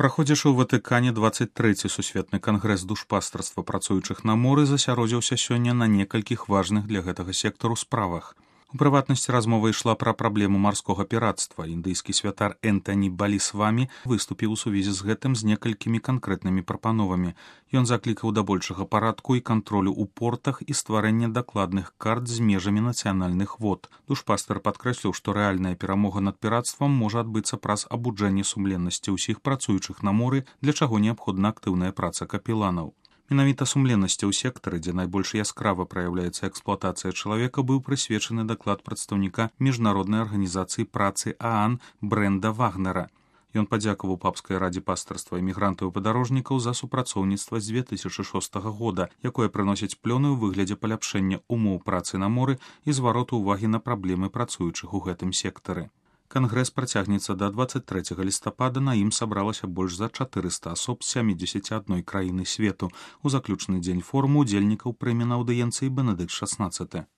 Праходзячы ў Ватыкане 23-й сусветны кангрэс душпастарства працуючых на моры засяродзіўся сёння на некалькіх важных для гэтага сектару справах. У прыватнасці размова ішла пра праблему марскога піратства. Індыйскі святар Энтані Балісвамі выступіў у сувязі з гэтым з некалькімі канкрэтнымі прапановамі. Ён заклікаў да большага парадку і кантролю ў портах і стварэння дакладных карт з межамі нацыянальных вод. Душпастар падкрэсліў, што рэальная перамога над піратствам можа адбыцца праз абуджэнне сумленнасці ўсіх працуючых на моры, для чаго неабходна актыўная праца капеланаў. Менавіта сумленнасці ў сектары, дзе найбольш яскрава праяўляецца эксплуатацыя чалавека, быў прысвечаны даклад прадстаўніка міжнароднай арганізацыі працы ААН Брэнда Вагнера. Ён падзякаваў папскай радзе пастырства эмігрантаў і падарожнікаў за супрацоўніцтва з 2006 года, якое прыносіць плёны ў выглядзе паляпшэння умоў працы на моры і звароту ўвагі на праблемы працуючых у гэтым сектары. Кангрэс працягнецца да 23 лістапада, на ім сабралася больш за 400 асоб з 71 краіны свету. У заключны дзень форуму удзельнікаў прыме на аўдыенцыі Бенедыкт XVI.